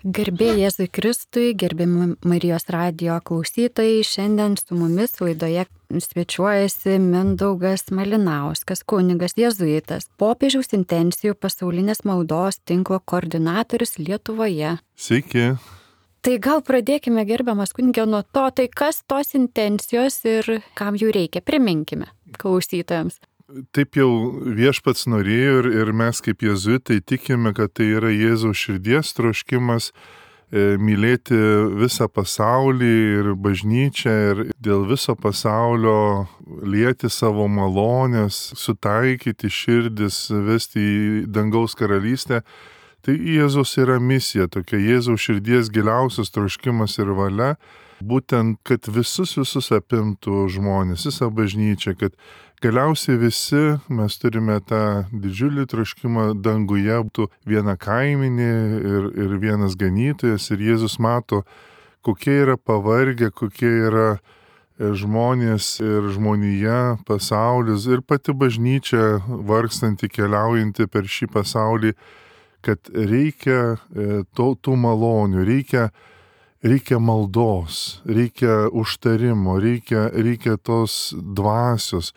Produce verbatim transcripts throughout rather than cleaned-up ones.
Garbė Jėzui Kristui, gerbiami Marijos radijo klausytojai, šiandien su mumis laidoje svečiuojasi Mindaugas Malinauskas, kunigas jėzuitas, popiežiaus intencijų pasaulinės maldos tinklo koordinatorius Lietuvoje. Sveiki. Tai gal pradėkime, gerbiamas kunige, nuo to, tai kas tos intencijos ir kam jų reikia, priminkime klausytojams. Taip jau viešpats norėjo ir, ir mes kaip jėzuitai tikime, kad tai yra Jėzaus širdies troškimas e, mylėti visą pasaulį ir bažnyčią ir dėl viso pasaulio lieti savo malonės, sutaikyti širdis, vesti į dangaus karalystę. Tai Jėzus yra misija, tokia Jėzaus širdies giliausias troškimas ir valia, būtent, kad visus visus apimtų žmonės, visą bažnyčią, kad galiausiai visi mes turime tą didžiulį troškimą danguje, būtų viena kaiminė ir, ir vienas ganytojas ir Jėzus mato, kokie yra pavargę, kokie yra žmonės ir žmonija, pasaulis ir pati bažnyčia vargstanti, keliaujanti per šį pasaulį, kad reikia to, tų malonių, reikia Reikia maldos, reikia užtarimo, reikia, reikia tos dvasios.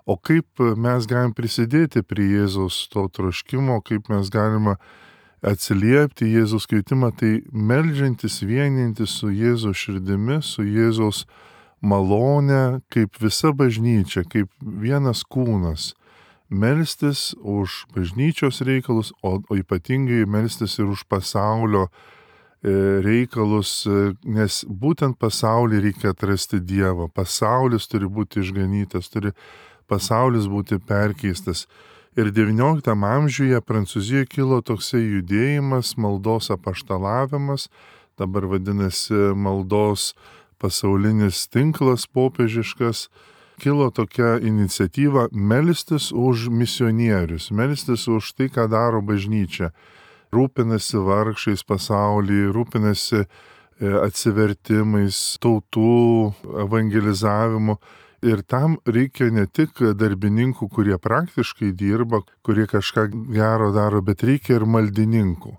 O kaip mes galim prisidėti prie Jėzaus to troškimo, kaip mes galime atsiliepti Jėzaus kvietimą, tai meldžiantis, vienintis su Jėzaus širdimi, su Jėzaus malone, kaip visa bažnyčia, kaip vienas kūnas. Melstis už bažnyčios reikalus, o, o ypatingai melstis ir už pasaulio reikalus, nes būtent pasaulį reikia atrasti Dievą. Pasaulis turi būti išganytas, turi pasaulis būti perkeistas. Ir devynioliktam amžiuje Prancūzijoje kilo toksai judėjimas, maldos apaštalavimas, dabar vadinasi maldos pasaulinis tinklas popiežiškas. Kilo tokia iniciatyva melstis už misionierius, melstis už tai, ką daro bažnyčia. Rūpinasi vargšais pasaulyje, rūpinasi atsivertimais, tautų evangelizavimu. Ir tam reikia ne tik darbininkų, kurie praktiškai dirba, kurie kažką gero daro, bet reikia ir maldininkų.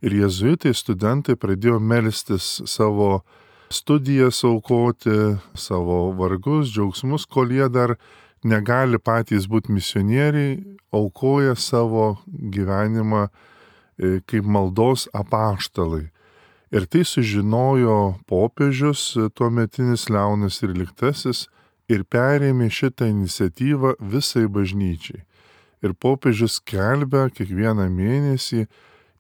Ir jėzuitai, studentai pradėjo melstis savo studijas aukoti, savo vargus, džiaugsmus, kol jie dar negali patys būti misionieriai, aukoja savo gyvenimą kaip maldos apaštalai. Ir tai sužinojo popiežius, tuometinis Leonas tryliktasis, ir perėmė šitą iniciatyvą visai bažnyčiai. Ir popiežius skelbia kiekvieną mėnesį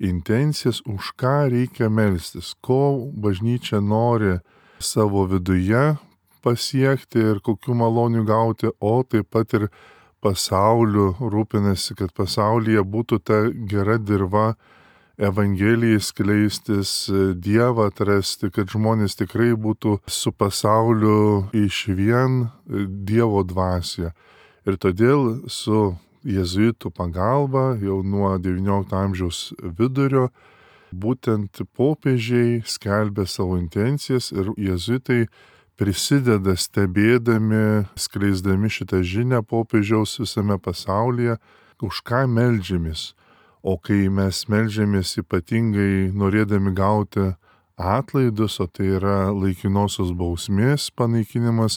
intencijas, už ką reikia melstis, ko bažnyčia nori savo viduje pasiekti ir kokių malonių gauti, o taip pat ir pasauliu rūpinasi, kad pasaulyje būtų ta gera dirva evangelijai skleistis, Dievą atrasti, kad žmonės tikrai būtų su pasauliu išvien Dievo dvasioje. Ir todėl su jėzuitų pagalba jau nuo devyniolikto amžiaus vidurio būtent popiežiai skelbė savo intencijas ir jėzuitai prisideda stebėdami, skleisdami šitą žinią popiežiaus visame pasaulyje, už ką meldžiamės. O kai mes meldžiamės ypatingai norėdami gauti atlaidus, o tai yra laikinosios bausmės panaikinimas,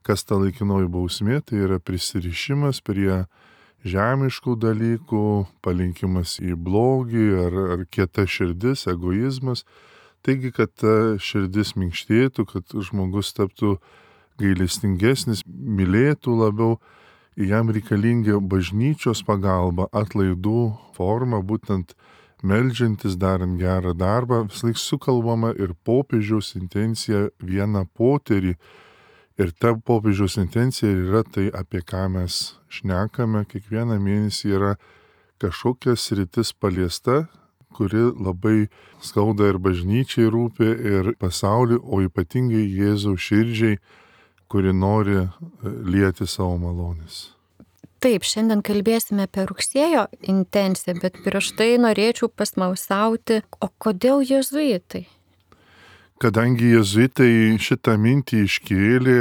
kas ta laikinoji bausmė, tai yra prisirišimas prie žemiškų dalykų, palinkimas į blogį ar, ar kieta širdis, egoizmas. Taigi, kad ta širdis minkštėtų, kad žmogus taptų gailestingesnis, mylėtų labiau, jam reikalinga bažnyčios pagalba, atlaidų forma, būtent meldžiantis, darant gerą darbą, vislaik sukalbama ir popiežiaus intencija vieną poterį. Ir ta popiežiaus intencija yra tai, apie ką mes šnekame, kiekvieną mėnesį yra kažkokia sritis paliesta, kuri labai skauda ir bažnyčiai rūpi, ir pasauliui, o ypatingai Jėzaus širdžiai, kuri nori lieti savo malonės. Taip, šiandien kalbėsime apie rugsėjo intenciją, bet prieš tai norėčiau pasmalsauti, o kodėl jėzuitai? Kadangi jėzuitai šitą mintį iškėlė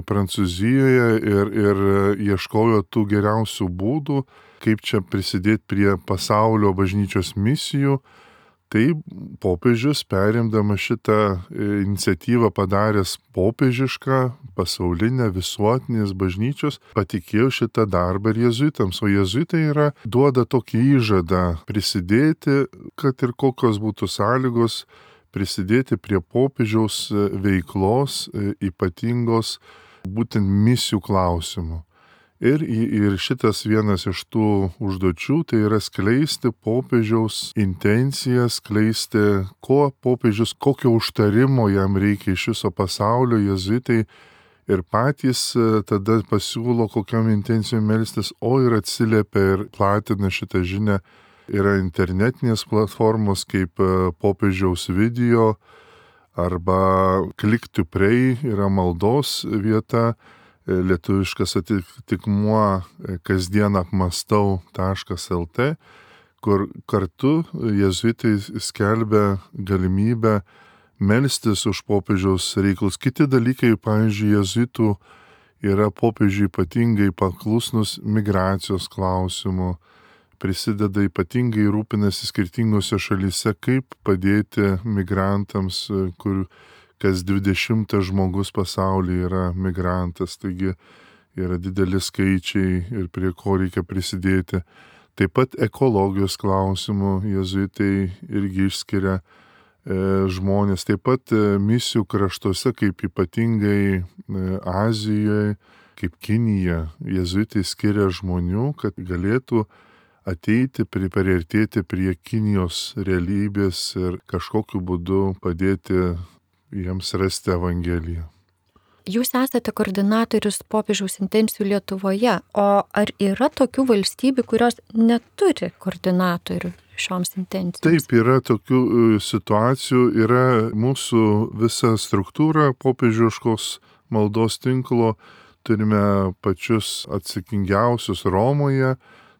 Prancūzijoje ir, ir ieškojo tų geriausių būdų, kaip čia prisidėti prie pasaulio bažnyčios misijų, Tai popiežius, perimdamas šitą iniciatyvą padaręs popiežišką, pasaulinę, visuotinės bažnyčios, patikėjo šitą darbą ir jėzuitams. O jėzuitai yra duoda tokį įžadą prisidėti, kad ir kokios būtų sąlygos, prisidėti prie popiežiaus veiklos ypatingos būtent misijų klausimų. Ir, ir šitas vienas iš tų užduočių tai yra skleisti popiežiaus intenciją, skleisti, ko popiežius, kokio užtarimo jam reikia iš viso pasaulio, jėzuitai ir patys tada pasiūlo, kokiam intencijom melstis, o ir atsiliepia ir platina šitą žinią. Yra internetinės platformos kaip popiežiaus video arba Click to Pray yra maldos vieta, lietuviškas atitikmuo kasdien apmastau taškas lt, kur kartu jėzuitai skelbia galimybę melstis už popiežiaus reikalus. Kiti dalykai, pavyzdžiui, jėzuitų yra popiežiui ypatingai paklusnus migracijos klausimu, prisideda ypatingai rūpinasi skirtingose šalyse, kaip padėti migrantams, kur kas dvidešimtas žmogus pasaulyje yra migrantas, taigi yra dideli skaičiai ir prie ko reikia prisidėti. Taip pat ekologijos klausimų jėzuitai irgi išskiria e, žmonės. Taip pat e, misijų kraštuose, kaip ypatingai e, Azijoje, kaip Kinija, jėzuitai skiria žmonių, kad galėtų ateiti, priartėti prie Kinijos realybės ir kažkokiu būdu padėti jiems rasti Evangeliją. Jūs esate koordinatorius popiežiaus intencijų Lietuvoje, o ar yra tokių valstybių, kurios neturi koordinatorių šioms intencijoms? Taip, yra tokių situacijų, yra mūsų visa struktūra popiežiškos maldos tinklo, turime pačius atsakingiausius Romoje,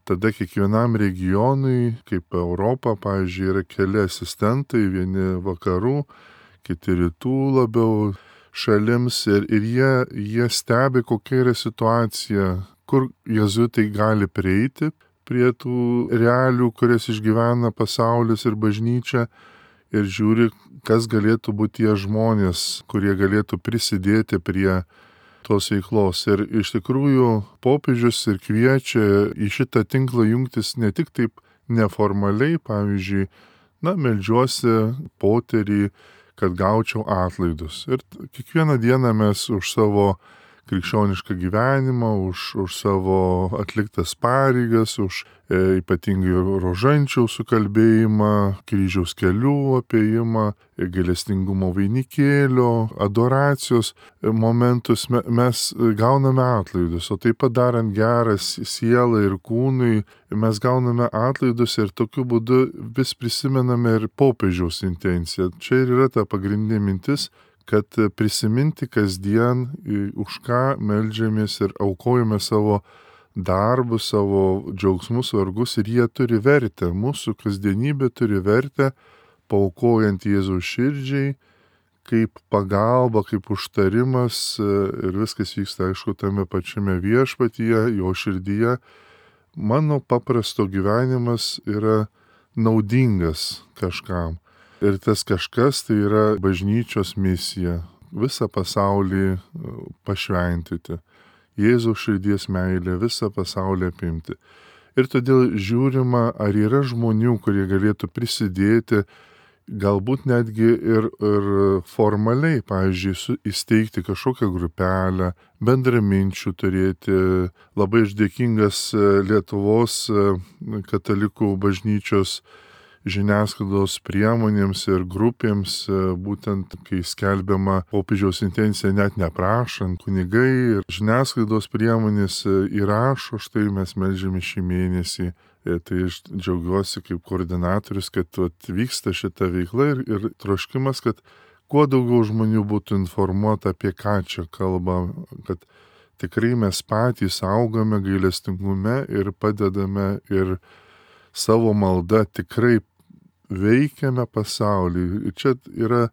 tada kiekvienam regionui, kaip Europa, pavyzdžiui, yra keli asistentai, vieni vakarų, kiti rytų labiau šalims ir, ir jie, jie stebi, kokia yra situacija, kur jėzuitai gali prieiti prie tų realių, kurias išgyvena pasaulis ir bažnyčia ir žiūri, kas galėtų būti tie žmonės, kurie galėtų prisidėti prie tos veiklos. Ir iš tikrųjų popiežius ir kviečia į šitą tinklą jungtis ne tik taip neformaliai, pavyzdžiui, na, meldžiuosi poterį, kad gaučiau atlaidus. Ir kiekvieną dieną mes už savo krikščionišką gyvenimą, už, už savo atliktas pareigas, už e, ypatingai rožančiaus sukalbėjimą, kryžiaus kelių apėjimą, gailestingumo vainikėlio, adoracijos momentus me, mes gauname atlaidus, o taip pat darant geras sielai ir kūnui, mes gauname atlaidus ir tokiu būdu vis prisimename ir popiežiaus intenciją. Čia ir yra ta pagrindinė mintis, kad prisiminti kasdien, už ką meldžiamės ir aukojame savo darbus, savo džiaugsmus, vargus ir jie turi vertę. Mūsų kasdienybė turi vertę, paaukojant Jėzaus širdžiai, kaip pagalba, kaip užtarimas ir viskas vyksta, aišku, tame pačiame viešpatyje, jo širdyje. Mano paprasto gyvenimas yra naudingas kažkam. Ir tas kažkas tai yra bažnyčios misija - visą pasaulį pašventyti. Jėzaus širdies meilė visą pasaulį apimti. Ir todėl žiūrima, ar yra žmonių, kurie galėtų prisidėti, galbūt netgi ir, ir formaliai, pavyzdžiui, su, įsteigti kažkokią grupelę, bendraminčių turėti. Labai aš dėkingas Lietuvos katalikų bažnyčios žiniasklaidos priemonėms ir grupėms, būtent kai skelbiama popiežiaus intencija net neprašant, kunigai ir žiniasklaidos priemonės įrašo, štai mes meldžiame šį mėnesį. Tai aš džiaugiuosi kaip koordinatorius, kad vyksta šita veikla ir, ir troškimas, kad kuo daugiau žmonių būtų informuota apie ką čia kalba, kad tikrai mes patys augame gailestingume ir padedame ir savo malda tikrai veikiame pasaulį. Ir čia yra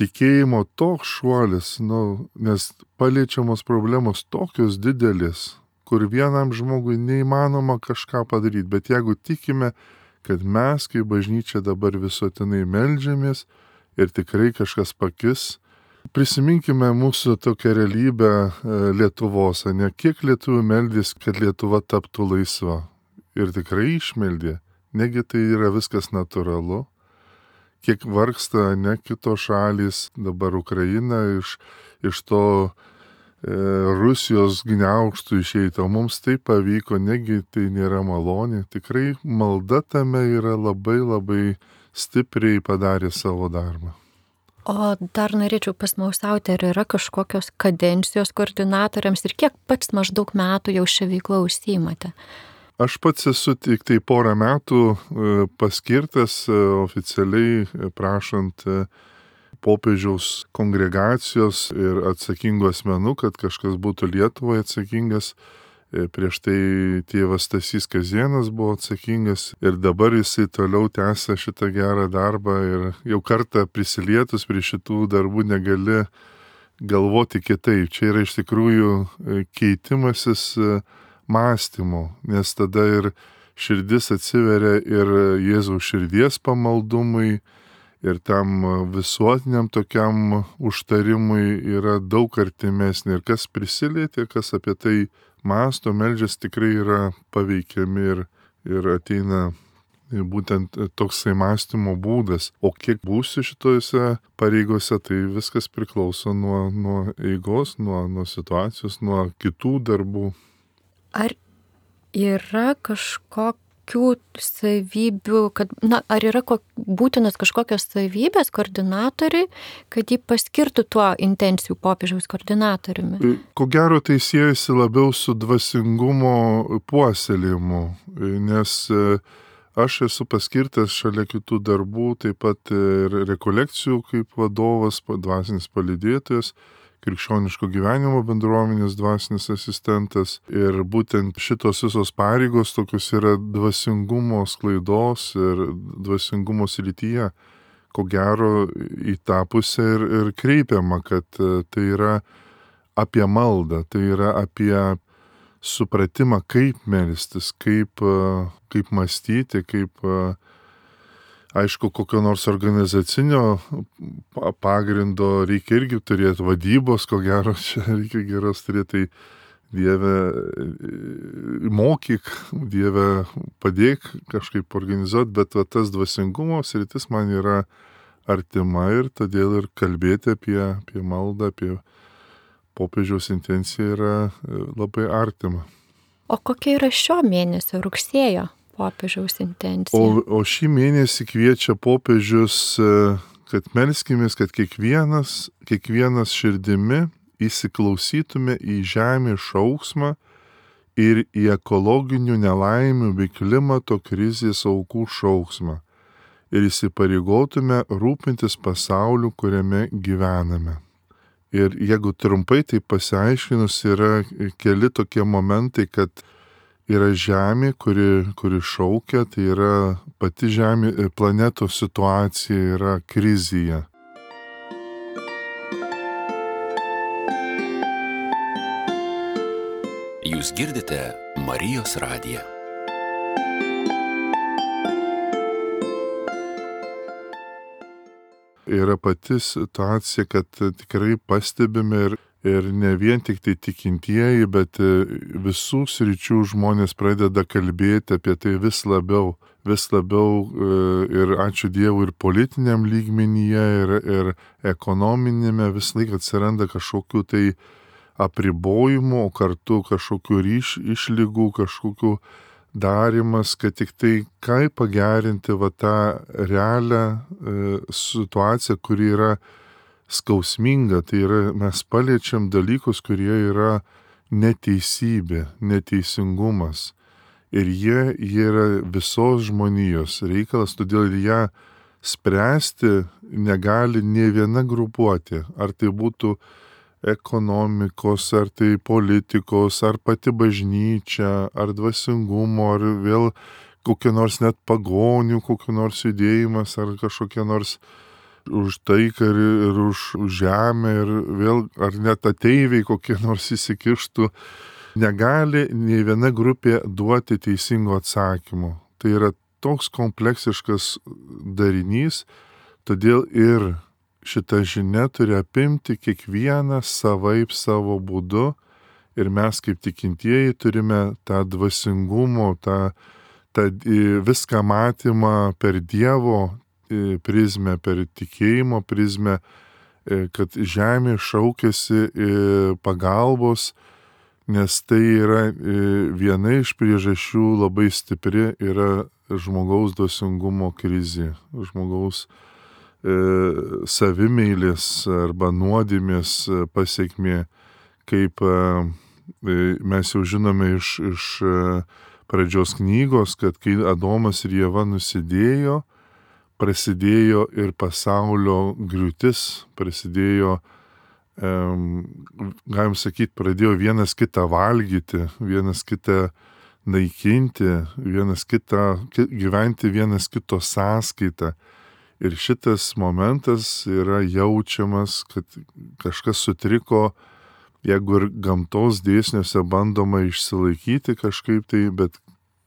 tikėjimo toks šuolis, nu, nes paliečiamos problemos tokios didelės, kur vienam žmogui neįmanoma kažką padaryti. Bet jeigu tikime, kad mes, kaip bažnyčia, dabar visuotinai meldžiamės ir tikrai kažkas pakis. Prisiminkime mūsų tokią realybę Lietuvos, ne kiek lietuvių meldys, kad Lietuva taptų laisva. Ir tikrai išmeldė, negi tai yra viskas natūralu. Kiek vargsta ne kitos šalys, dabar Ukraina iš, iš to e, Rusijos gniaužtų išeiti, o mums tai pavyko, negi tai nėra malonė. Tikrai malda tame yra labai labai stipriai padarė savo darbą. O dar norėčiau pasmausauti, ar yra kažkokios kadencijos koordinatoriams ir kiek pats maždaug metų jau šią veiklą užsiimate? Aš pats esu tik tai porą metų paskirtas oficialiai prašant popiežiaus kongregacijos ir atsakingų asmenų, kad kažkas būtų Lietuvoje atsakingas. Prieš tai tėvas Stasys Kazienas buvo atsakingas ir dabar jisai toliau tęsia šitą gerą darbą ir jau kartą prisilietus prie šitų darbų negali galvoti kitaip. Čia yra iš tikrųjų keitimasis mąstymu, nes tada ir širdis atsiveria ir Jėzaus širdies pamaldumui ir tam visuotiniam tokiam užtarimui yra daug artimesnė ir kas prisilietė, kas apie tai mąsto, meldžias, tikrai yra paveikiami ir, ir ateina būtent toksai mąstymo būdas. O kiek būsiu šitose pareigose, tai viskas priklauso nuo, nuo eigos, nuo, nuo situacijos, nuo kitų darbų. Ar yra kažkokių savybių, kad, na, ar yra ko, būtinas kažkokios savybės koordinatoriui, kad jį paskirtų tuo intencijų popiežiaus koordinatoriumi? Ko gero tai siejasi labiau su dvasingumo puoselėjimu, nes aš esu paskirtas šalia kitų darbų, taip pat ir rekolekcijų kaip vadovas, dvasinis palydėtojas, krikščioniško gyvenimo bendruomenės dvasinis asistentas ir būtent šitos visos pareigos tokios yra dvasingumo sklaidos ir dvasingumo srityje. Ko gero į tą pusę ir, ir kreipiama, kad tai yra apie maldą, tai yra apie supratimą, kaip melstis, kaip, kaip mąstyti, kaip aišku, kokio nors organizacinio pagrindo reikia irgi turėti, vadybos, ko gero, čia reikia geros turėti, tai Dieve mokyk, Dieve padėk kažkaip organizuoti, bet va, tas dvasingumo sritis man yra artima ir todėl ir kalbėti apie, apie maldą, apie popiežiaus intenciją yra labai artima. O kokia yra šio mėnesio rugsėjo popiežiaus intencija? O, o šį mėnesį kviečia popiežius, kad melskimės, kad kiekvienas, kiekvienas širdimi įsiklausytume į žemės šauksmą ir į ekologinių nelaimių bei klimato krizės aukų šauksmą ir įsipareigotume rūpintis pasauliu, kuriame gyvename. Ir jeigu trumpai tai pasiaiškinus, yra keli tokie momentai, kad yra žemė, kuri, kuri šaukia, tai yra pati žemė, planetos situacija yra krizėje. Jūs girdite Marijos radiją. Yra pati situacija, kad tikrai pastebime ir Ir ne vien tik tai tikintieji, bet visų sričių žmonės pradeda kalbėti apie tai vis labiau, vis labiau ir ačiū Dievui ir politiniam lygmenyje, ir, ir ekonominėme vis laik atsiranda kažkokių tai apribojimų, o kartu kažkokių ryš, išlygų, kažkokių darimas, kad tik tai kaip pagerinti va tą realią e, situaciją, kuri yra skausminga, tai yra mes paliečiam dalykus, kurie yra neteisybė, neteisingumas. Ir jie, jie yra visos žmonijos reikalas, todėl ją spręsti negali nė viena grupuotė. Ar tai būtų ekonomikos, ar tai politikos, ar pati bažnyčia, ar dvasingumo, ar vėl kokie nors net pagonių, kokie nors judėjimas, ar kažkokie nors už taiką ir, ir už žemę ir vėl, ar net ateiviai kokie nors įsikištų, negali nei viena grupė duoti teisingo atsakymo. Tai yra toks kompleksiškas darinys, todėl ir šita žinia turi apimti kiekvieną savaip savo būdu ir mes kaip tikintieji turime tą dvasingumo, tą, tą viską matymą per Dievo prizmę, per tikėjimo prizmę, kad žemė šaukiasi pagalbos, nes tai yra viena iš priežasčių labai stipri yra žmogaus dvasingumo krizė, žmogaus e, savimeilės arba nuodėmės pasiekmė, kaip e, mes jau žinome iš, iš pradžios knygos, kad kai Adomas ir Ieva nusidėjo, prasidėjo ir pasaulio griūtis, prasidėjo, um, galim sakyti, pradėjo vienas kitą valgyti, vienas kitą naikinti, vienas kitą, gyventi vienas kito sąskaitą. Ir šitas momentas yra jaučiamas, kad kažkas sutriko, jeigu ir gamtos dėsniuose bandoma išsilaikyti kažkaip tai, bet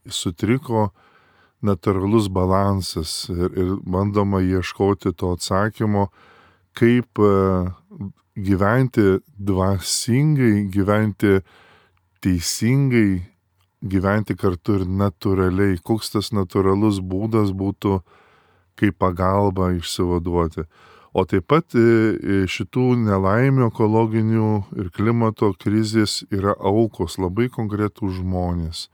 sutriko natūralus balansas ir, ir bandoma ieškoti to atsakymo, kaip gyventi dvasingai, gyventi teisingai, gyventi kartu ir natūraliai, koks tas natūralus būdas būtų, kaip pagalba išsivaduoti. O taip pat šitų nelaimių ekologinių ir klimato krizės yra aukos, labai konkretūs žmonės.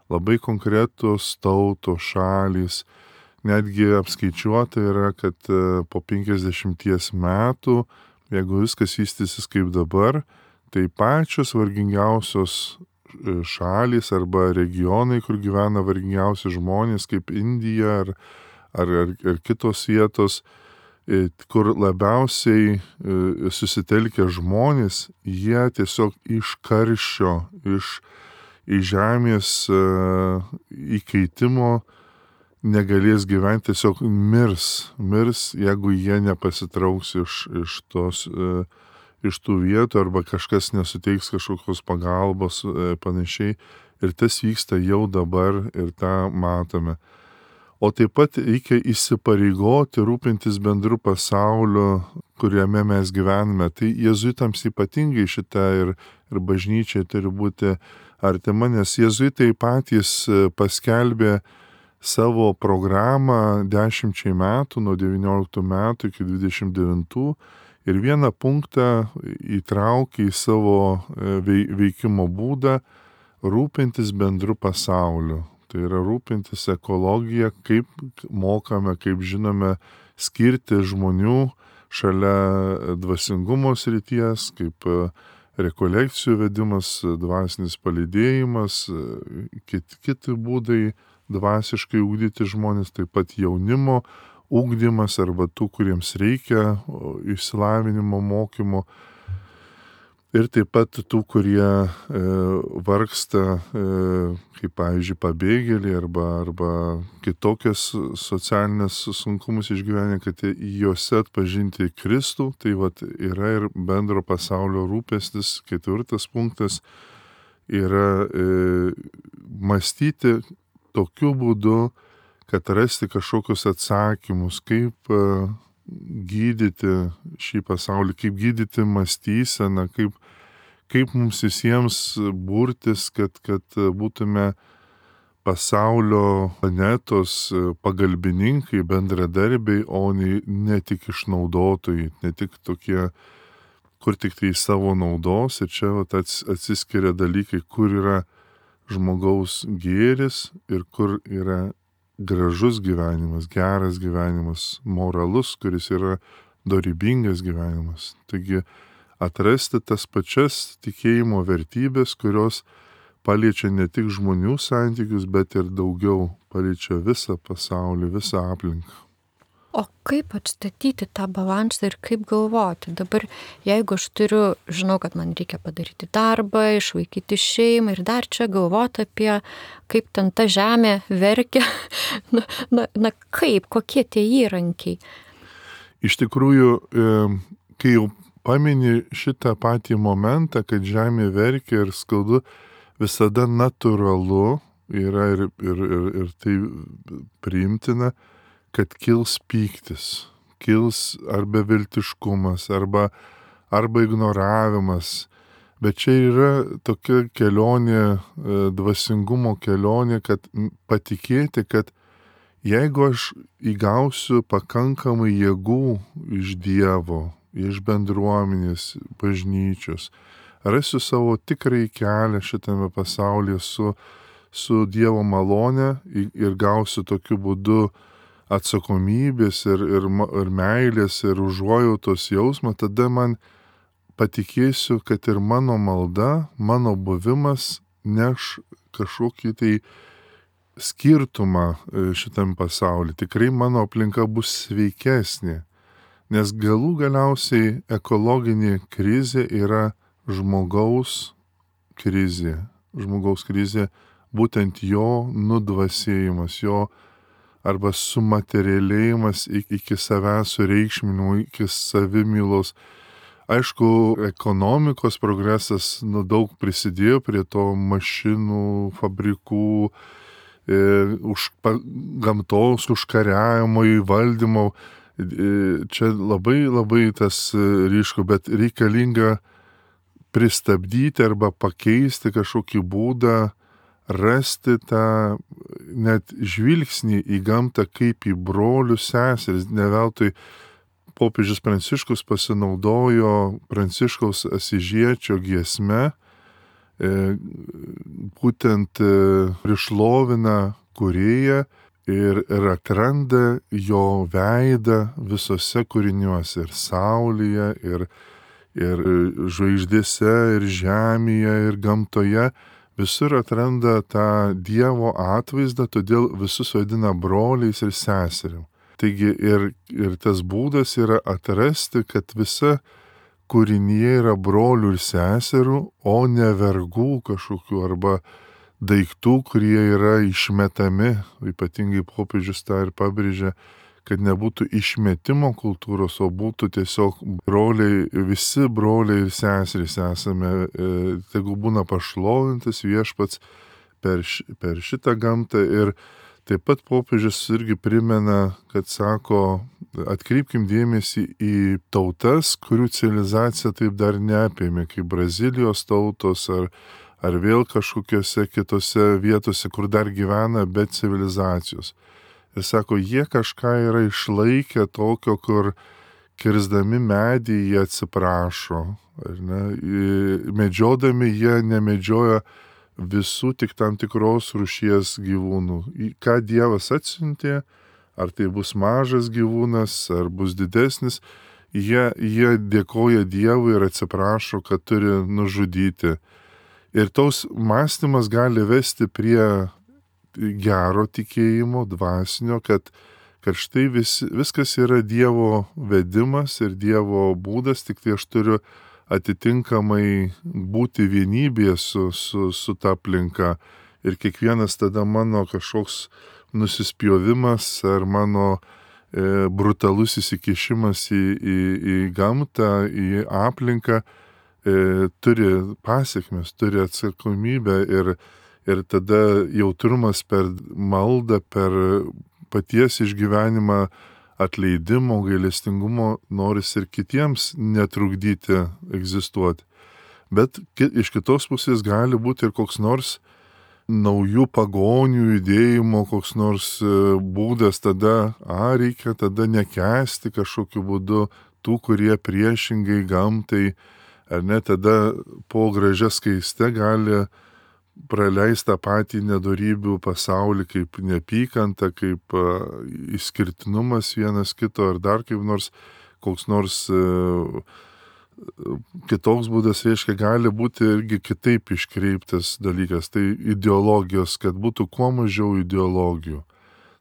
Labai konkretus tautos, šalys, netgi apskaičiuota yra, kad po penkiasdešimties metų, jeigu viskas vystysis kaip dabar, tai pačios vargingiausios šalys arba regionai, kur gyvena vargingiausi žmonės, kaip Indija ar, ar, ar, ar kitos vietos, kur labiausiai susitelkę žmonės, jie tiesiog iš karščio, iš į žemės įkeitimo negalės gyventi, tiesiog mirs, mirs, jeigu jie nepasitrauks iš, iš, tos, iš tų vietų arba kažkas nesuteiks kažkokios pagalbos panašiai. Ir tas vyksta jau dabar ir tą matome. O taip pat reikia įsipareigoti rūpintis bendru pasauliu, kuriame mes gyvename. Tai jėzuitams ypatingai šitą ir, ir bažnyčiai turi būti artima, nes jėzuitai patys paskelbė savo programą dešimčiai metų, nuo devynioliktų metų iki dvidešimt devintų ir vieną punktą įtraukė į savo veikimo būdą rūpintis bendru pasauliu. Tai yra rūpintis ekologija, kaip mokame, kaip žinome, skirti žmonių šalia dvasingumo srities, kaip rekolekcijų vedimas, dvasinis palydėjimas, kiti, kiti būdai dvasiškai ugdyti žmonės, taip pat jaunimo ugdymas arba tų, kuriems reikia išsilavinimo, mokymo. Ir taip pat tų, kurie e, vargsta, e, kaip pavyzdžiui, pabėgėliai arba, arba kitokias socialinės sunkumus išgyvenę, kad juose atpažinti Kristų. Tai vat, yra ir bendro pasaulio rūpestis. Ketvirtas punktas yra e, mąstyti tokiu būdu, kad rasti kažkokius atsakymus, kaip e, gydyti šį pasaulį, kaip gydyti mąstyseną, kaip, kaip mums visiems burtis, kad, kad būtume pasaulio planetos pagalbininkai, bendradarbiai, o ne, ne tik išnaudotojai, ne tik tokie, kur tik tai savo naudos. Ir čia vat, atsiskiria dalykai, kur yra žmogaus gėris ir kur yra gražus gyvenimas, geras gyvenimas, moralus, kuris yra dorybingas gyvenimas. Taigi atrasti tas pačias tikėjimo vertybės, kurios paliečia ne tik žmonių santykius, bet ir daugiau paliečia visą pasaulį, visą aplinką. O kaip atstatyti tą balansą ir kaip galvoti? Dabar, jeigu aš turiu, žinau, kad man reikia padaryti darbą, išvaikyti šeimą ir dar čia galvoti apie, kaip ten ta žemė verkia, na, na, na kaip, kokie tie įrankiai? Iš tikrųjų, kai jau pamini šitą patį momentą, kad žemė verkia ir skaudu, visada natūralu yra ir, ir, ir, ir tai priimtina, kad kils pyktis, kils arba beviltiškumas, arba, arba ignoravimas. Bet čia yra tokia kelionė, dvasingumo kelionė, kad patikėti, kad jeigu aš įgausiu pakankamai jėgų iš Dievo, iš bendruomenės, bažnyčios, rasiu savo tikrąjį kelią šitame pasaulyje su, su Dievo malone ir gausiu tokiu būdu atsakomybės ir, ir, ir meilės ir užuojautos jausmą, tada man patikėsiu, kad ir mano malda, mano buvimas neš kažkokį tai skirtumą šitam pasauliu. Tikrai mano aplinka bus sveikesnė, nes galų galiausiai ekologinė krizė yra žmogaus krizė. Žmogaus krizė, būtent jo nudvasėjimas, jo arba sumaterialėjimas iki savęs sureikšminimo, iki savimylos. Aišku, ekonomikos progresas nu, daug prisidėjo prie to mašinų, fabrikų, e, už, pa, gamtos užkariavimo, įvaldymo. E, čia labai labai tas ryšku, bet reikalinga pristabdyti arba pakeisti kažkokį būdą, rasti tą net žvilgsnį į gamtą kaip į brolių seseris. Ne veltui popiežius Pranciškus pasinaudojo Pranciškaus Asyžiečio giesme, e, būtent e, prišlovina kūrėją ir, ir atranda jo veidą visose kūriniuose, ir saulėje, ir, ir žvaigždėse, ir žemėje, ir gamtoje. Visur atranda tą Dievo atvaizdą, todėl visus vadina broliais ir seserim. Taigi ir, ir tas būdas yra atrasti, kad visa kūrinyje yra brolių ir seserų, o ne vergų kažkokių arba daiktų, kurie yra išmetami. Ypatingai popiežius tą ir pabrėžia, kad nebūtų išmetimo kultūros, o būtų tiesiog broliai, visi broliai ir seserys esame, e, tegu būna pašlovintas viešpats per, per šitą gamtą. Ir taip pat popiežius irgi primena, kad sako, atkreipkim dėmesį į tautas, kurių civilizacija taip dar neapėmė, kaip Brazilijos tautos ar, ar vėl kažkokiose kitose vietose, kur dar gyvena be civilizacijos. Ir sako, jie kažką yra išlaikę tokio, kur kirsdami medį jie atsiprašo. Ar ne? Medžiodami jie nemedžioja visų tik tam tikros rūšies gyvūnų. Ką Dievas atsiuntė, ar tai bus mažas gyvūnas, ar bus didesnis, jie, jie dėkoja Dievui ir atsiprašo, kad turi nužudyti. Ir tos mąstymas gali vesti prie gero tikėjimo, dvasinio, kad, kad štai vis, viskas yra Dievo vedimas ir Dievo būdas, tik tai aš turiu atitinkamai būti vienybėje su, su, su ta aplinka. Ir kiekvienas tada mano kažkoks nusispjovimas ar mano e, brutalus įsikišimas į, į, į gamtą, į aplinką e, turi pasiekmes, turi atsakomybę ir Ir tada jautrumas per maldą, per paties išgyvenimą atleidimo, gailestingumo noris ir kitiems netrukdyti egzistuoti. Bet iš kitos pusės gali būti ir koks nors naujų pagonių judėjimo, koks nors būdas tada, a, reikia tada nekęsti kažkokiu būdu tų, kurie priešingai gamtai, ar ne, tada po gražia skaiste gali praleista patį nedorybių pasaulį kaip neapykanta, kaip uh, išskirtinumas vienas kito ar dar kaip nors, koks nors uh, kitoks būdas, reiškia, gali būti irgi kitaip iškreiptas dalykas. Tai ideologijos, kad būtų kuo mažiau ideologijų.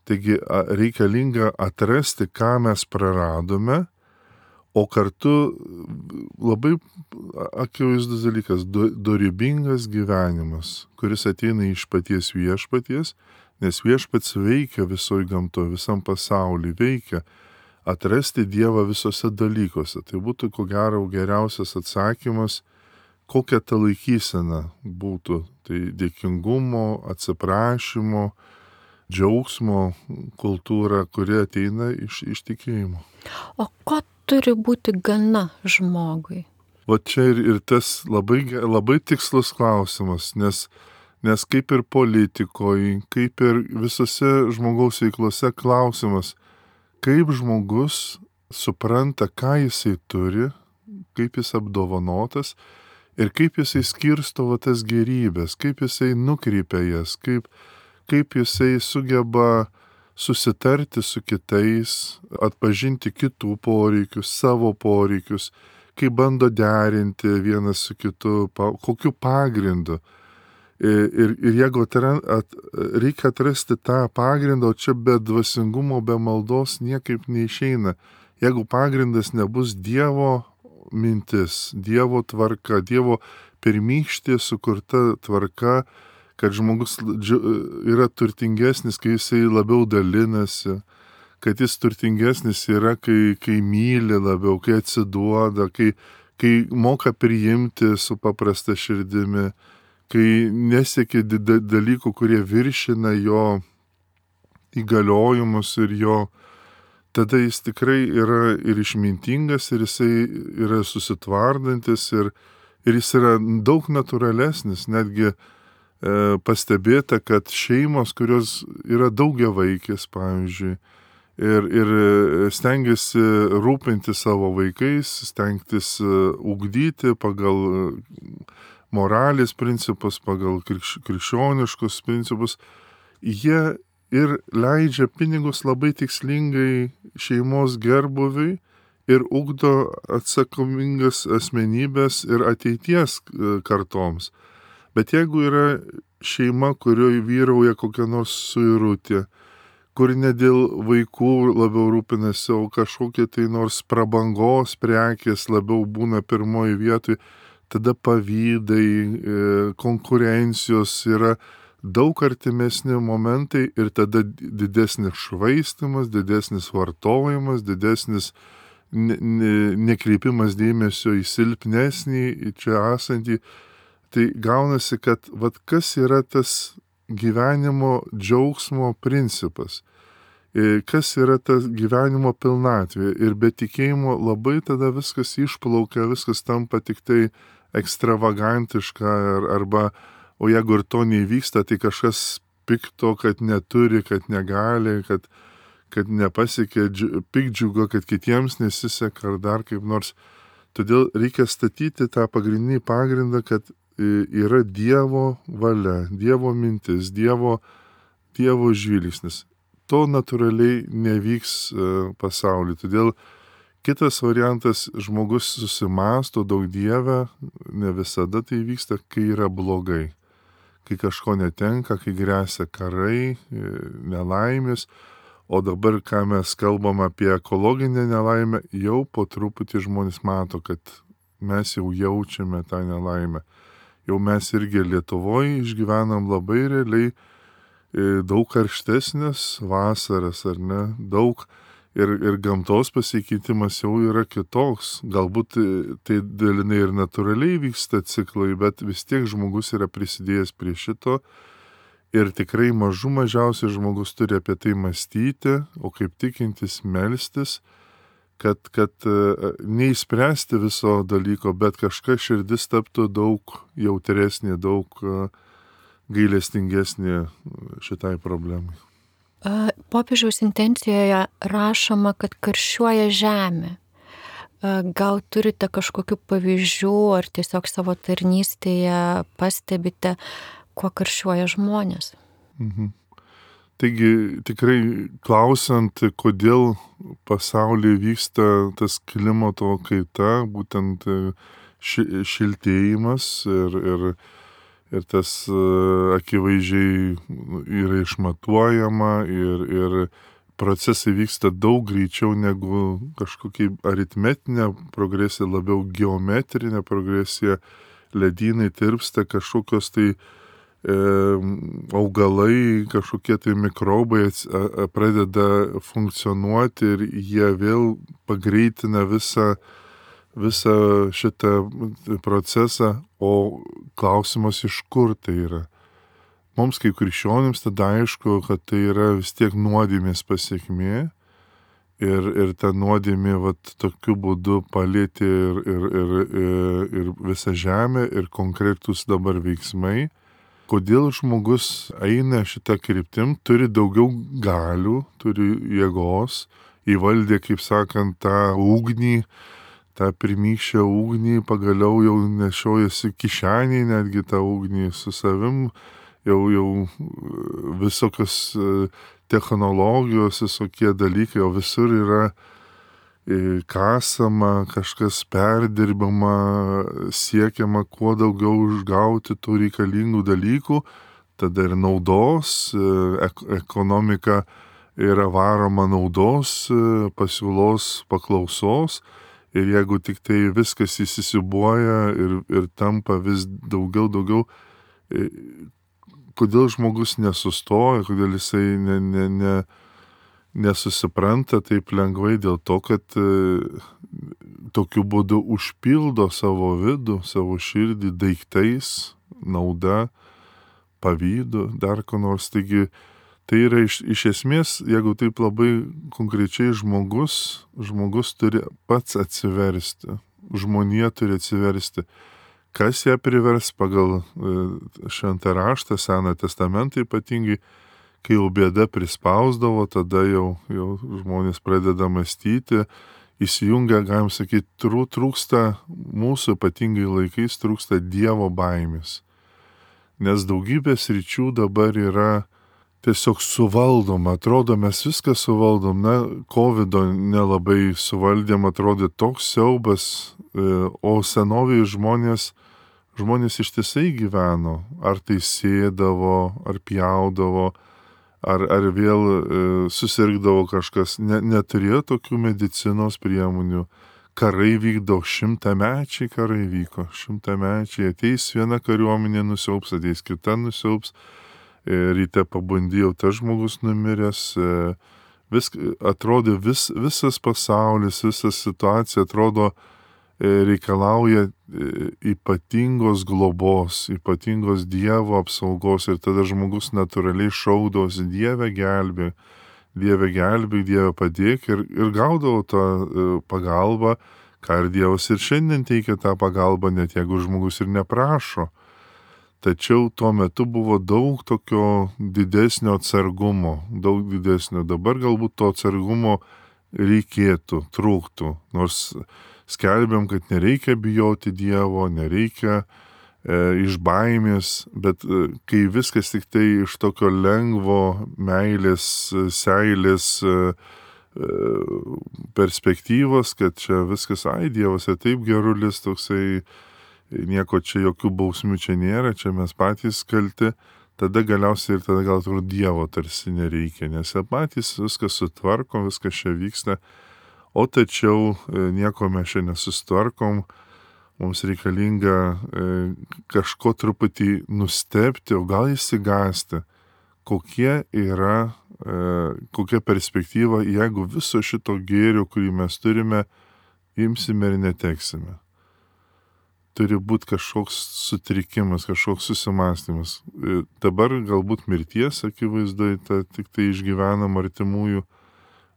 Taigi reikalinga atrasti, ką mes praradome, o kartu labai akivaizdus dalykas, dorybingas gyvenimas, kuris ateina iš paties viešpaties, nes viešpats veikia visoje gamtoje, visam pasaulyje veikia, atrasti Dievą visose dalykuose. Tai būtų ko gero geriausias atsakymas, kokia ta laikysena būtų. Tai dėkingumo, atsiprašymo, džiaugsmo kultūra, kuri ateina iš, iš tikėjimo. O ko turi būti gana žmogui? Va čia ir, ir tas labai, labai tikslus klausimas, nes, nes kaip ir politikoje, kaip ir visose žmogaus veiklose klausimas, kaip žmogus supranta, ką jisai turi, kaip jis apdovanotas ir kaip jisai skirsto va tas gerybės, kaip jisai nukreipia jas, kaip, kaip jisai sugeba susitarti su kitais, atpažinti kitų poreikius, savo poreikius, kaip bando derinti vienas su kitu, kokiu pagrindu. Ir, ir jeigu atran, at, reikia atrasti tą pagrindą, o čia be dvasingumo, be maldos niekaip neišeina. Jeigu pagrindas nebus Dievo mintis, Dievo tvarka, Dievo pirmykštė sukurta tvarka, kad žmogus yra turtingesnis, kai jisai labiau dalinasi, kad jis turtingesnis yra, kai, kai myli labiau, kai atsiduoda, kai, kai moka priimti su paprasta širdimi, kai nesiekia dalykų, kurie viršina jo įgaliojimus ir jo, tada jis tikrai yra ir išmintingas, ir jisai yra susitvardantis, ir, ir jis yra daug natūralesnis, netgi e, pastebėta, kad šeimos, kurios yra daugiavaikės, pavyzdžiui, ir, ir stengiasi rūpinti savo vaikais, stengtis ugdyti pagal moralės principus, pagal krikš, krikščioniškus principus, jie ir leidžia pinigus labai tikslingai šeimos gerbuviui ir ugdo atsakomingas asmenybės ir ateities kartoms. Bet jeigu yra šeima, kurioje vyrauja kokia nors suirutė, kur ne dėl vaikų labiau rūpinasi, o kažkokie tai nors prabangos prekės labiau būna pirmoji vietoj, tada pavydai, konkurencijos yra daug artimesni momentai ir tada didesnis švaistimas, didesnis vartojimas, didesnis ne, ne, nekreipimas dėmesio į silpnesnį, į čia esantį. Tai gaunasi, kad vat kas yra tas gyvenimo džiaugsmo principas, kas yra tas gyvenimo pilnatvė. Ir be tikėjimo labai tada viskas išplaukia, viskas tampa tik tai ekstravagantiška arba, o jeigu ir to neįvyksta, tai kažkas pikto, kad neturi, kad negali, kad, kad nepasiekė pikdžiugo, kad kitiems nesiseka ar dar kaip nors. Todėl reikia statyti tą pagrindinį pagrindą, kad yra Dievo valia, Dievo mintis, Dievo, Dievo žvilgsnis. To natūraliai nevyks pasaulyje. Todėl kitas variantas, žmogus susimąsto daug Dievę, ne visada tai vyksta, kai yra blogai. Kai kažko netenka, kai gresia karai, nelaimės. O dabar, ką mes kalbam apie ekologinę nelaimę, jau po truputį žmonės mato, kad mes jau jaučiame tą nelaimę. Jau mes irgi Lietuvoje išgyvenam labai realiai daug karštesnės vasaras, ar ne? Daug ir, ir gamtos pasikeitimas jau yra kitoks. Galbūt tai dalinai ir natūraliai vyksta ciklai, bet vis tiek žmogus yra prisidėjęs prie šito. Ir tikrai mažų mažiausiai žmogus turi apie tai mąstyti, o kaip tikintis melstis, kad, kad neįspręsti viso dalyko, bet kažkas širdis taptų daug jautresnė, daug gailestingesnė šitai problemai. Popiežiaus intencijoje rašoma, kad karščiuoja žemė. Gal turite kažkokių pavyzdžių ar tiesiog savo tarnystėje pastebite, kuo karščiuoja žmonės? Mhm. Taigi tikrai klausant, kodėl pasaulyje vyksta tas klimato kaita, būtent ši, šiltėjimas ir, ir, ir tas akivaizdžiai yra išmatuojama ir, ir procesai vyksta daug greičiau negu kažkokia aritmetinė progresija, labiau geometrinė progresija, ledynai tirpsta, kažkokios tai augalai, kažkokie tai mikrobai pradeda funkcionuoti ir jie vėl pagreitina visą visą šitą procesą, o klausimas, iš kur tai yra. Mums kaip krikščionims tada aišku, kad tai yra vis tiek nuodėmės pasiekmė ir, ir ta nuodėmė vat tokiu būdu palėtė ir, ir, ir, ir, ir visą žemę ir konkretus dabar veiksmai. Kodėl žmogus eina šitą kryptim, turi daugiau galių, turi jėgos, įvaldė, kaip sakant, tą ugnį, tą pirmykščią ugnį, pagaliau jau nešiojasi kišenį, netgi tą ugnį su savim, jau, jau visokios technologijos, visokie dalykai, jau visur yra kasama, kažkas perdirbama, siekiama kuo daugiau išgauti tų reikalingų dalykų, tada ir naudos, ekonomika yra varoma naudos, pasiūlos, paklausos, ir jeigu tik tai viskas įsisibuoja ir, ir tampa vis daugiau, daugiau, kodėl žmogus nesustoja, kodėl jisai ne, ne, ne, nesusipranta taip lengvai, dėl to, kad e, tokiu būdu užpildo savo vidų, savo širdį daiktais, nauda, pavydu, dar ko nors. Taigi, tai yra iš, iš esmės, jeigu taip labai konkrečiai žmogus, žmogus turi pats atsiversti, žmonija turi atsiversti. Kas ją privers pagal e, šventą raštą, Seną testamentą ypatingai, kai jau bėda prispausdavo, tada jau, jau žmonės pradeda mąstyti, įsijungia, galim sakyti, trūksta mūsų ypatingai laikais, trūksta Dievo baimės. Nes daugybės ryčių dabar yra tiesiog suvaldoma, atrodo, mes viską suvaldom, na, kovido nelabai suvaldėm, atrodė toks siaubas, o senovėje žmonės, žmonės ištisai gyveno, ar tai sėdavo, ar pjaudavo, Ar, ar vėl e, susirgdavo kažkas, ne, neturėjo tokių medicinos priemonių. Karai vykdavo, šimtamečiai karai vyko, šimtamečiai, ateis viena kariuomenė nusiaups, ateis kita nusiaups, e, ryte pabandėjau, tas žmogus numiręs, e, vis, atrodo vis, visas pasaulis, visa situacija atrodo e, reikalauja e, ypatingos globos, ypatingos Dievo apsaugos ir tada žmogus natūraliai šaukdavosi Dieve gelbėk, Dieve gelbėk, Dieve padėk ir, ir gaudavo tą e, pagalbą, ką ir Dievas ir šiandien teikia tą pagalbą, net jeigu žmogus ir neprašo. Tačiau tuo metu buvo daug tokio didesnio atsargumo, daug didesnio. Dabar galbūt to atsargumo reikėtų, trūktų, nors skelbiam, kad nereikia bijoti Dievo, nereikia e, iš baimės, bet e, kai viskas tik tai iš tokio lengvo meilės, seilės e, perspektyvos, kad čia viskas, ai, Dievas ir taip gerulis, toksai, nieko čia, jokių bausmių čia nėra, čia mes patys kalti, tada galiausiai ir tada gal turbūt Dievo tarsi nereikia, nes patys viskas sutvarko, viskas čia vyksta. O tačiau nieko mes čia nesustvarkom, mums reikalinga e, kažko truputį nustebti, o gal įsigąsti, kokie yra, e, kokia perspektyva, jeigu viso šito gėrio, kurį mes turime, imsime ir neteksime. Turi būti kažkoks sutrikimas, kažkoks susimastymas. E, dabar galbūt mirties akivaizdai, ta, tik tai išgyvenam artimųjų,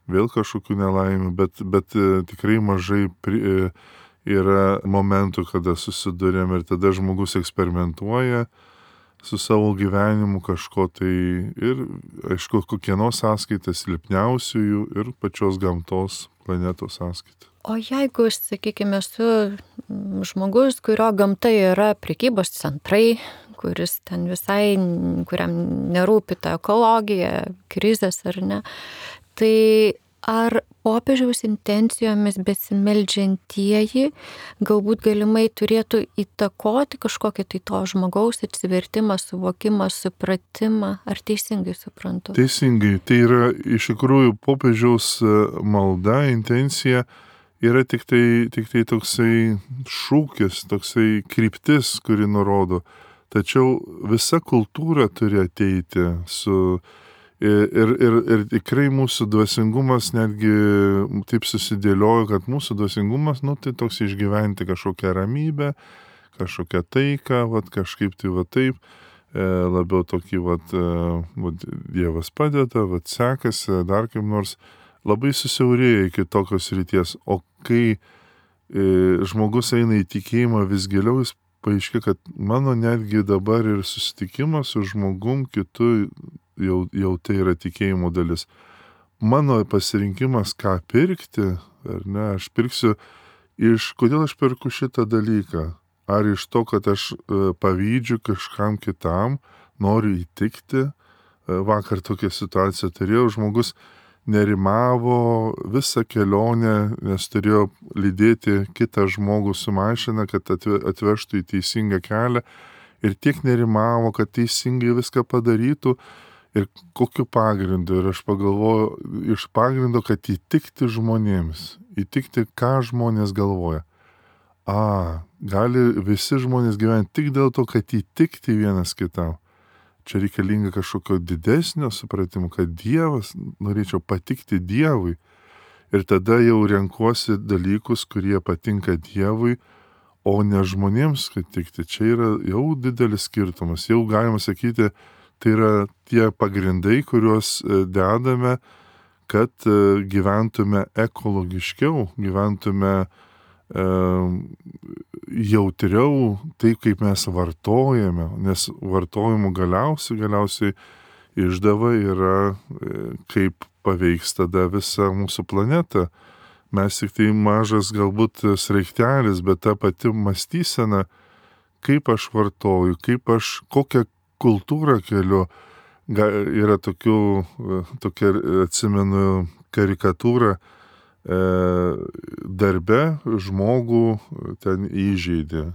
vėl kažkokių nelaimių, bet, bet tikrai mažai pri, yra momentų, kada susidurėm ir tada žmogus eksperimentuoja su savo gyvenimu kažko tai ir, aišku, kokieno sąskaita silpniausiųjų ir pačios gamtos planetos sąskaita. O jeigu, sakykime, esu žmogus, kurio gamta yra prekybos centrai, kuris ten visai, kuriam nerūpi ta ekologija, krizės ar ne, tai ar popiežiaus intencijomis besimeldžiantieji galbūt galimai turėtų įtakoti kažkokį tai to žmogaus atsivertimą, suvokimą, supratimą, ar teisingai suprantu? Teisingai, tai yra iš tikrųjų popiežiaus malda, intencija yra tik tai, tik tai toksai šūkis, toksai kryptis, kuri nurodo. Tačiau visa kultūra turi ateiti su Ir, ir, ir, ir tikrai mūsų dvasingumas netgi taip susidėliojo, kad mūsų dvasingumas, nu, tai toks išgyventi kažkokią ramybę, kažkokią taiką, vat, kažkaip tai va taip, e, labiau tokį, vat, e, vat, Dievas padeda, vat, sekasi, dar kaip nors, labai susiaurėja iki tokios ryties. O kai e, žmogus eina į tikėjimą vis giliau, jis paaiškia, kad mano netgi dabar ir susitikimas su žmogum kitu, Jau, jau tai yra tikėjimo dalis. Mano pasirinkimas, ką pirkti, ar ne, aš pirksiu iš, kodėl aš perku šitą dalyką. Ar iš to, kad aš e, pavydžiu kažkam kitam, noriu įtikti. E, vakar tokią situaciją turėjau, žmogus nerimavo visą kelionę, nes turėjo lydėti kitą žmogų su mašina, kad atve, atvežtų į teisingą kelią. Ir tiek nerimavo, kad teisingai viską padarytų. Ir kokiu pagrindu, ir aš pagalvoju, iš pagrindo, kad įtikti žmonėms, įtikti, ką žmonės galvoja. A, gali visi žmonės gyventi tik dėl to, kad įtikti vienas kitam. Čia reikalinga kažkokio didesnio supratimo, kad Dievas, norėčiau patikti Dievui. Ir tada jau renkuosi dalykus, kurie patinka Dievui, o ne žmonėms, kad tikti. Čia yra jau didelis skirtumas. Jau galima sakyti, tai yra tie pagrindai, kuriuos dedame, kad gyventume ekologiškiau, gyventume e, jautriau taip, kaip mes vartojame, nes vartojimų galiausiai, galiausiai išdava yra, e, kaip paveiks tada visą mūsų planetą. Mes tik tai mažas galbūt sraigtelis, bet ta pati mąstysena, kaip aš vartoju, kaip aš, kokią kultūrą keliu. Yra tokių, tokia, atsimenu, karikatūra, e, darbe žmogų ten įžeidė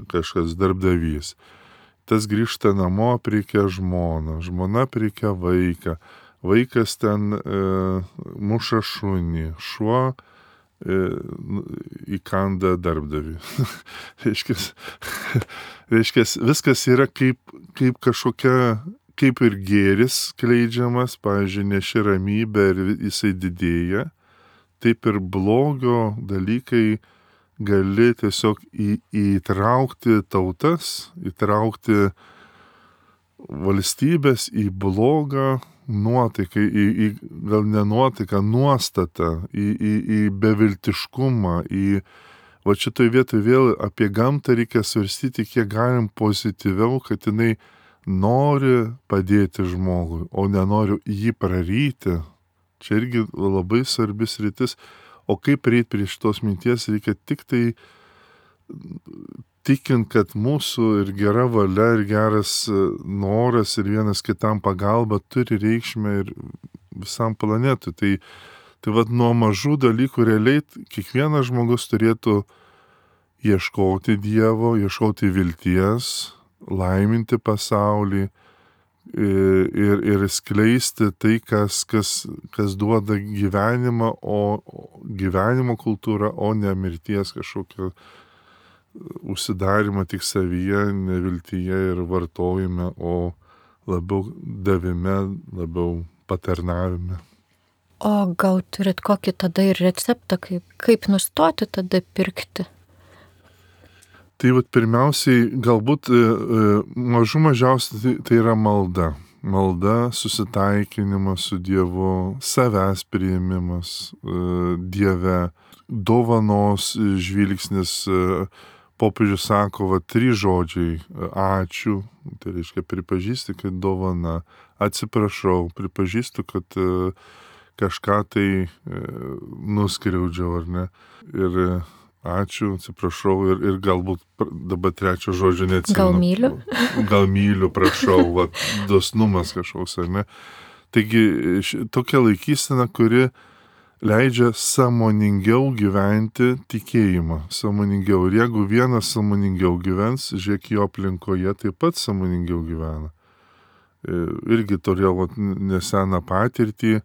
kažkas darbdavys. Tas grįžta namo, prikia žmoną, žmona prikia vaiką, vaikas ten e, muša šunį, šuo įkanda darbdavį. reiškia, reiškia, viskas yra kaip, kaip kažkokia, kaip ir gėris skleidžiamas, pavyzdžiui, neši ramybę ir jisai didėja, taip ir blogio dalykai gali tiesiog į, įtraukti tautas, įtraukti valstybės į blogą nuotaiką, į, į gal ne nuotaiką, nuostatą, į, į, į beviltiškumą, į, va šitoj vietoj vėl apie gamtą reikia svarstyti, kiek galim pozityviau, kad jinai nori padėti žmogui, o nenoriu jį praryti. Čia irgi labai svarbis rytis, o kaip prieit prie šitos minties, reikia tik tai tikint, kad mūsų ir gera valia, ir geras noras, ir vienas kitam pagalba turi reikšmę ir visam planetui. Tai, tai vad nuo mažų dalykų realiai kiekvienas žmogus turėtų ieškoti Dievo, ieškoti vilties, laiminti pasaulį ir, ir skleisti tai, kas, kas, kas duoda gyvenimą, o gyvenimo kultūrą, o ne mirties kažkokio užsidarimą tik savyje, neviltyje ir vartojime, o labiau davime, labiau patarnavime. O gal turit kokį tada ir receptą, kaip, kaip nustoti tada pirkti? Tai vat pirmiausiai, galbūt mažų mažiausiai tai, tai yra malda. Malda, susitaikinimas su Dievu, savęs priėmimas Dieve, dovanos žvilgsnis. Popiežius sako, va, trys žodžiai - ačiū, tai reiškia pripažįsti, kad dovana, atsiprašau, pripažįstu, kad e, kažką tai e, nuskriaudžiau, ar ne, ir e, ačiū, atsiprašau, ir, ir galbūt dabar trečio žodžio neatsimenu. Gal myliu? Gal myliu, prašau, va, dosnumas kažkoks, ar ne. Taigi ši, tokia laikysena, kuri leidžia sąmoningiau gyventi tikėjimą, sąmoningiau. Ir jeigu vienas sąmoningiau gyvens, žiūrėk, jo aplinkoje taip pat sąmoningiau gyvena. Irgi turėjau vat, neseną patirtį,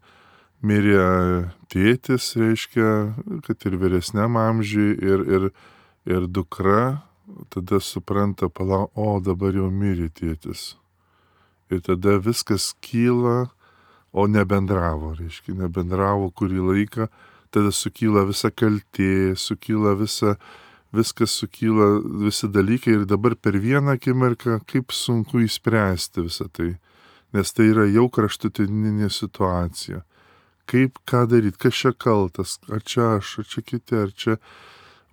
mirė tėtis, reiškia, kad ir vyresniam amžiui, ir, ir, ir dukra tada supranta, pala, o dabar jau mirė tėtis. Ir tada viskas kyla, o nebendravo, reiškia, nebendravo kurį laiką, tada sukyla visa kaltė, sukyla visa, viskas sukyla, visi dalykai ir dabar per vieną akimirką kaip sunku įspręsti visą tai, nes tai yra jau kraštutininė situacija. Kaip, ką daryti, kas čia kaltas, ar čia aš, ar čia kiti, ar čia,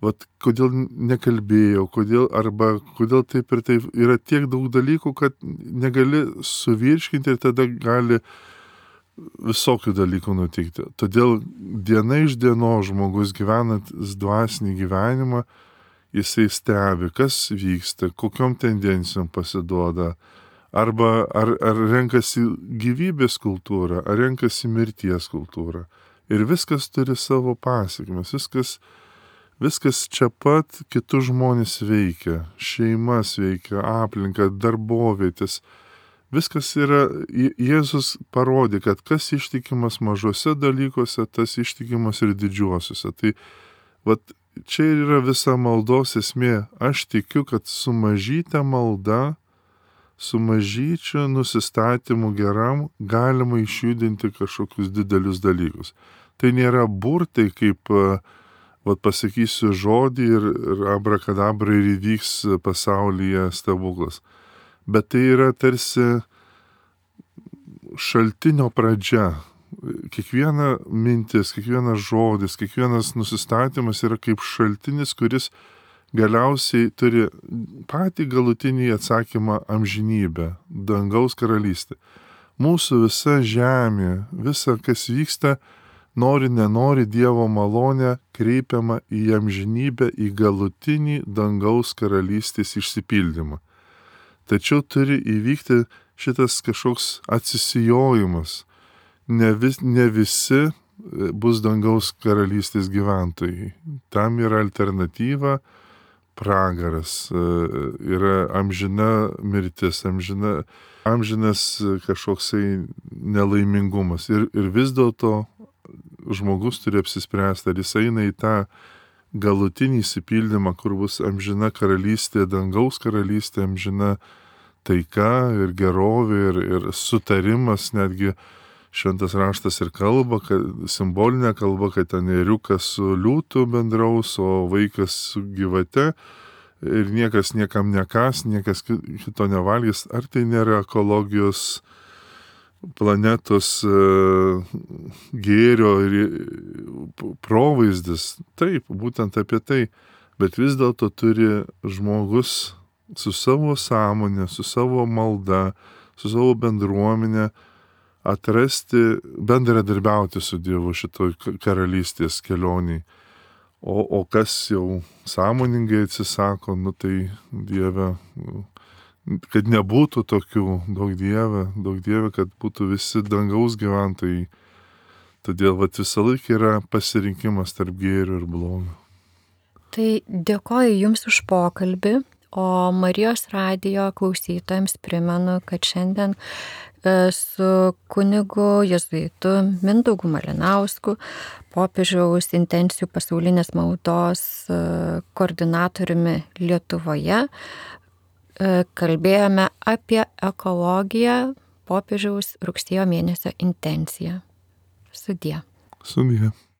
vat, kodėl nekalbėjau, kodėl, arba kodėl taip ir taip, yra tiek daug dalykų, kad negali suvirškinti ir tada gali visokių dalykų nutikti. Todėl diena iš dienos žmogus gyvenantis dvasinį gyvenimą, jisai stebi, kas vyksta, kokiom tendencijom pasiduoda, arba ar, ar renkasi gyvybės kultūrą, ar renkasi mirties kultūrą. Ir viskas turi savo pasiekmes, viskas, viskas čia pat kitus žmonės veikia, šeimas veikia, aplinka, darbovietės. Viskas yra, Jėzus parodė, kad kas ištikimas mažose dalykuose, tas ištikimas ir didžiuosiuose. Tai vat, čia yra visa maldos esmė. Aš tikiu, kad su mažyte malda, su mažyčiu nusistatymu geram galima išjudinti kažkokius didelius dalykus. Tai nėra burtai, kaip vat, pasakysiu žodį ir, ir abrakadabra ir įvyks pasaulyje stebuklas. Bet tai yra tarsi šaltinio pradžia. Kiekviena mintis, kiekvienas žodis, kiekvienas nusistatymas yra kaip šaltinis, kuris galiausiai turi patį galutinį atsakymą amžinybę, dangaus karalystę. Mūsų visa žemė, visa, kas vyksta, nori, nenori, Dievo malonė kreipiama į amžinybę, į galutinį dangaus karalystės išsipildymą. Tačiau turi įvykti šitas kažkoks atsisijojimas. Ne, vis, ne visi bus dangaus karalystės gyventojai. Tam yra alternatyva, pragaras, yra amžina mirtis, amžina, amžinas kažkoksai nelaimingumas. Ir, ir vis dėlto žmogus turi apsispręsti, ar jis eina į tą galutinį įsipildymą, kur bus amžina karalystė, dangaus karalystė, amžina taika ir gerovė ir, ir sutarimas, netgi šventas raštas ir kalba, kad, simbolinė kalba, kad ten ėriukas su liūtu bendraus, o vaikas su gyvate ir niekas niekam nekas, niekas kito nevalgys. Ar tai nėra ekologijos planetos gėrio ir provaizdis? Taip, būtent apie tai. Bet vis dėlto turi žmogus su savo sąmonė, su savo malda, su savo bendruomenė atrasti, bendradarbiauti su Dievu šitoj karalystės kelioniai. O, o kas jau sąmoningai atsisako, nu tai Dieve, kad nebūtų tokių, daug Dieve, daug Dieve, kad būtų visi dangaus gyventojai. Todėl vat, visą laiką yra pasirinkimas tarp gėrio ir blogio. Tai dėkoju Jums už pokalbį, o Marijos radijo klausytojams primenu, kad šiandien su kunigu jėzuitu Mindaugu Malinausku, popiežiaus intencijų pasaulinės maldos koordinatoriumi Lietuvoje, kalbėjome apie ekologiją, popiežiaus rugsėjo mėnesio intenciją. Sudie. Sudie.